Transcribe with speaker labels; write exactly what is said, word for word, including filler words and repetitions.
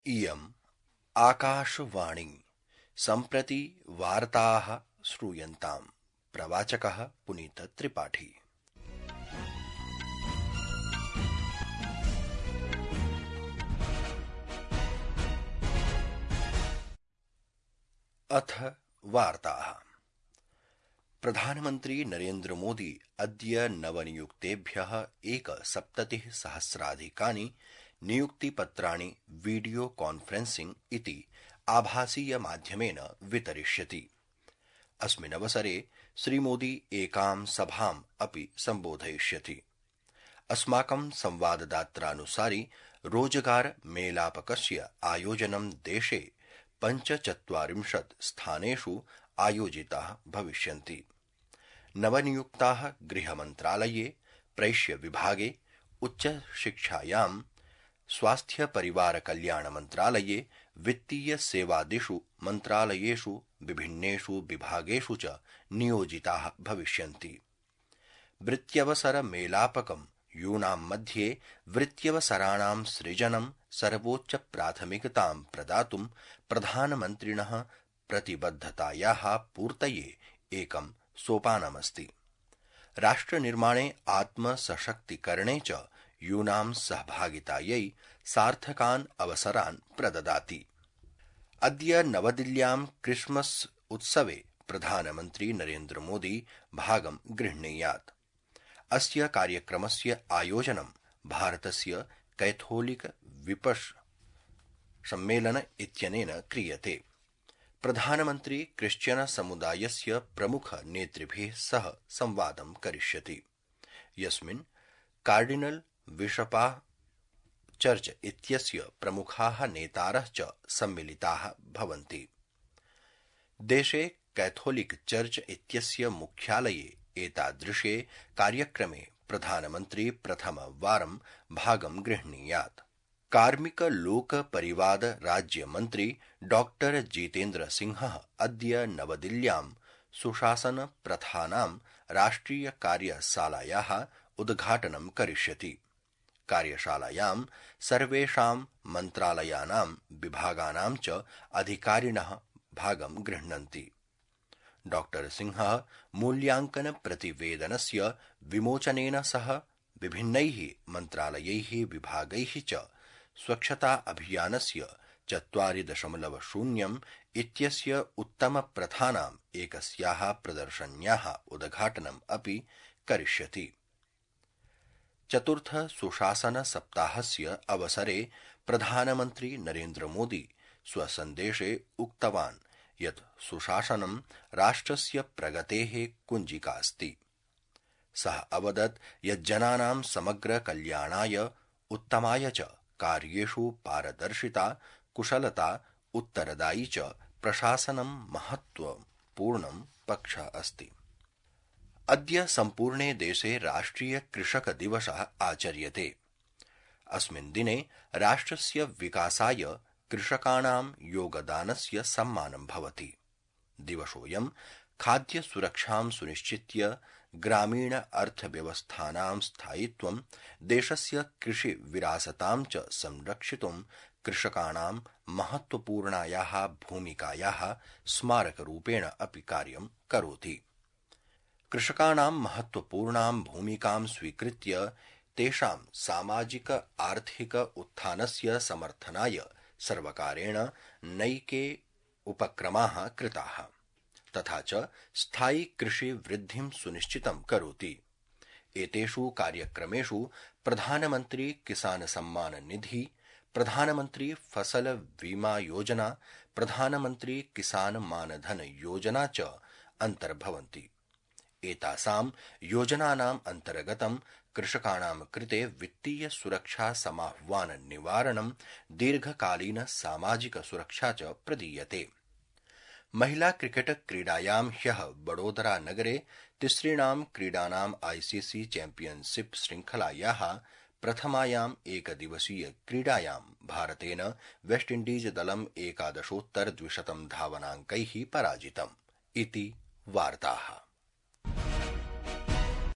Speaker 1: इयम् आकाशवाणी सम्प्रति वार्ताः श्रूयन्ताम्। प्रवाचकः पुनीत त्रिपाठी। अथ वार्ताः। प्रधानमन्त्री नरेन्द्र मोदी अद्य नवनियुक्तेभ्यः एकसप्ततिः सहस्राधिकानि नियुक्तिपत्राणि वीडियो कॉन्फ्रेंसिंग इति आभासीय माध्यमेन वितरिष्यति। अस्मिन्नवसरे श्रीमोदी एकां सभाम् अपि सम्बोधयिष्यति। अस्माकं संवाददात्रानुसारि रोजगार मेलापकस्य आयोजनं देशे पञ्चचत्वारिंशत् स्थानेषु आयोजिताः भविष्यन्ति। नवनियुक्ताः गृहमन्त्रालये, प्रैष्यविभागे, उच्चशिक्षायां, स्वास्थ्य परिवार कल्याण मन्त्रालये, वित्तीय सेवादिषु मन्त्रालयेषु विभिन्नेषु विभागेषु च नियोजिताः भविष्यन्ति। वृत्यवसर मेलापकं यूनां मध्ये वृत्यवसराणां सृजनं सर्वोच्च प्राथमिकतां प्रदातुं प्रधानमन्त्रिणः प्रतिबद्धतायाः पूर्तये एकं सोपानमस्ति। राष्ट्रनिर्माणे आत्मसशक्तिकरणे च यूनां सहभागितायै सार्थकान् अवसरान् प्रददाति। अद्य नवदिल्ल्यां क्रिसमस उत्सवे प्रधानमन्त्री नरेन्द्र मोदी भागं गृह्णीयात्। अस्य कार्यक्रमस्य आयोजनं भारतस्य कैथोलिक विपश् सम्मेलन इत्यनेन क्रियते। प्रधानमन्त्री क्रिश्चियन समुदायस्य प्रमुख नेतृभिः सह संवादं करिष्यति, यस्मिन् कार्डिनल बिशपाः, चर्च इत्यस्य प्रमुखाः नेतारः च सम्मिलिताः भवन्ति। देशे कैथोलिक चर्च इत्यस्य मुख्यालये एतादृशे कार्यक्रमे प्रधानमन्त्री प्रथमवारं भागं गृह्णीयात्। कार्मिक लोक परिवाद राज्यमन्त्री डॉक्टर जितेन्द्र सिंहः अद्य नवदिल्ल्यां सुशासन प्रथानां राष्ट्रिय कार्यशालायाः उद्घाटनं करिष्यति। कार्यशालायां सर्वेषां मन्त्रालयानां विभागानां च अधिकारिणः भागं गृह्णन्ति। डॉक्टर सिंहः मूल्याङ्कन प्रतिवेदनस्य विमोचनेन सह विभिन्नैः मन्त्रालयैः विभागैः च स्वच्छता अभियानस्य चत्वारि दशमलव शून्यम् इत्यस्य उत्तमप्रथानाम् एकस्याः प्रदर्शन्याः उद्घाटनम् अपि करिष्यति। चतुर्थ सुशासन सप्ताहस्य अवसरे प्रधानमन्त्री नरेन्द्र मोदी स्वसन्देशे उक्तवान् यत् सुशासनं राष्ट्रस्य प्रगतेः कुञ्जिका अस्ति। सः अवदत् यत् जनानां समग्र कल्याणाय, उत्तमाय च कार्येषु पारदर्शिता, कुशलता, उत्तरदायी च प्रशासनं महत्वपूर्णं पक्षः अस्ति। अद्य सम्पूर्णे देशे राष्ट्रिय कृषक दिवसः आचर्यते। अस्मिन् दिने राष्ट्रस्य विकासाय कृषकाणां योगदानस्य सम्मानं भवति। दिवसोऽयं खाद्य सुरक्षां सुनिश्चित्य ग्रामीण अर्थव्यवस्थानां स्थायित्वं, देशस्य कृषि विरासतां च संरक्षितुं कृषकाणां महत्वपूर्णायाः भूमिकायाः स्मारकरूपेण अपि कार्यं करोति। कृषकाणां महत्वपूर्णां भूमिकां स्वीकृत्य तेषां सामाजिक आर्थिक उत्थानस्य समर्थनाय सर्वकारेण नैके उपक्रमाः कृताः, तथा च स्थायि कृषि वृद्धिं सुनिश्चितं करोति। एतेषु कार्यक्रमेषु प्रधानमन्त्री किसान सम्मान निधि, प्रधानमन्त्री फसल बीमा योजना, प्रधानमन्त्री किसान मानधन योजना च अन्तर्भवन्ति। एतासां योजनानाम् अन्तर्गतं कृषकाणां कृते वित्तीय सुरक्षा समाह्वान निवारणं, दीर्घकालीन सामाजिक सुरक्षा च प्रदीयते। महिला क्रिकेट क्रीडायां ह्यः वडोदरा नगरे तिसृणां क्रीडानाम् आईसीसी चैम्पियनशिप श्रृंखलायाः प्रथमायाम् एकदिवसीय क्रीडायां भारतेन वेस्टइण्डीज दलम् एकादशोत्तर द्विशतं धावनाङ्कैः पराजितम् इति वार्ताः।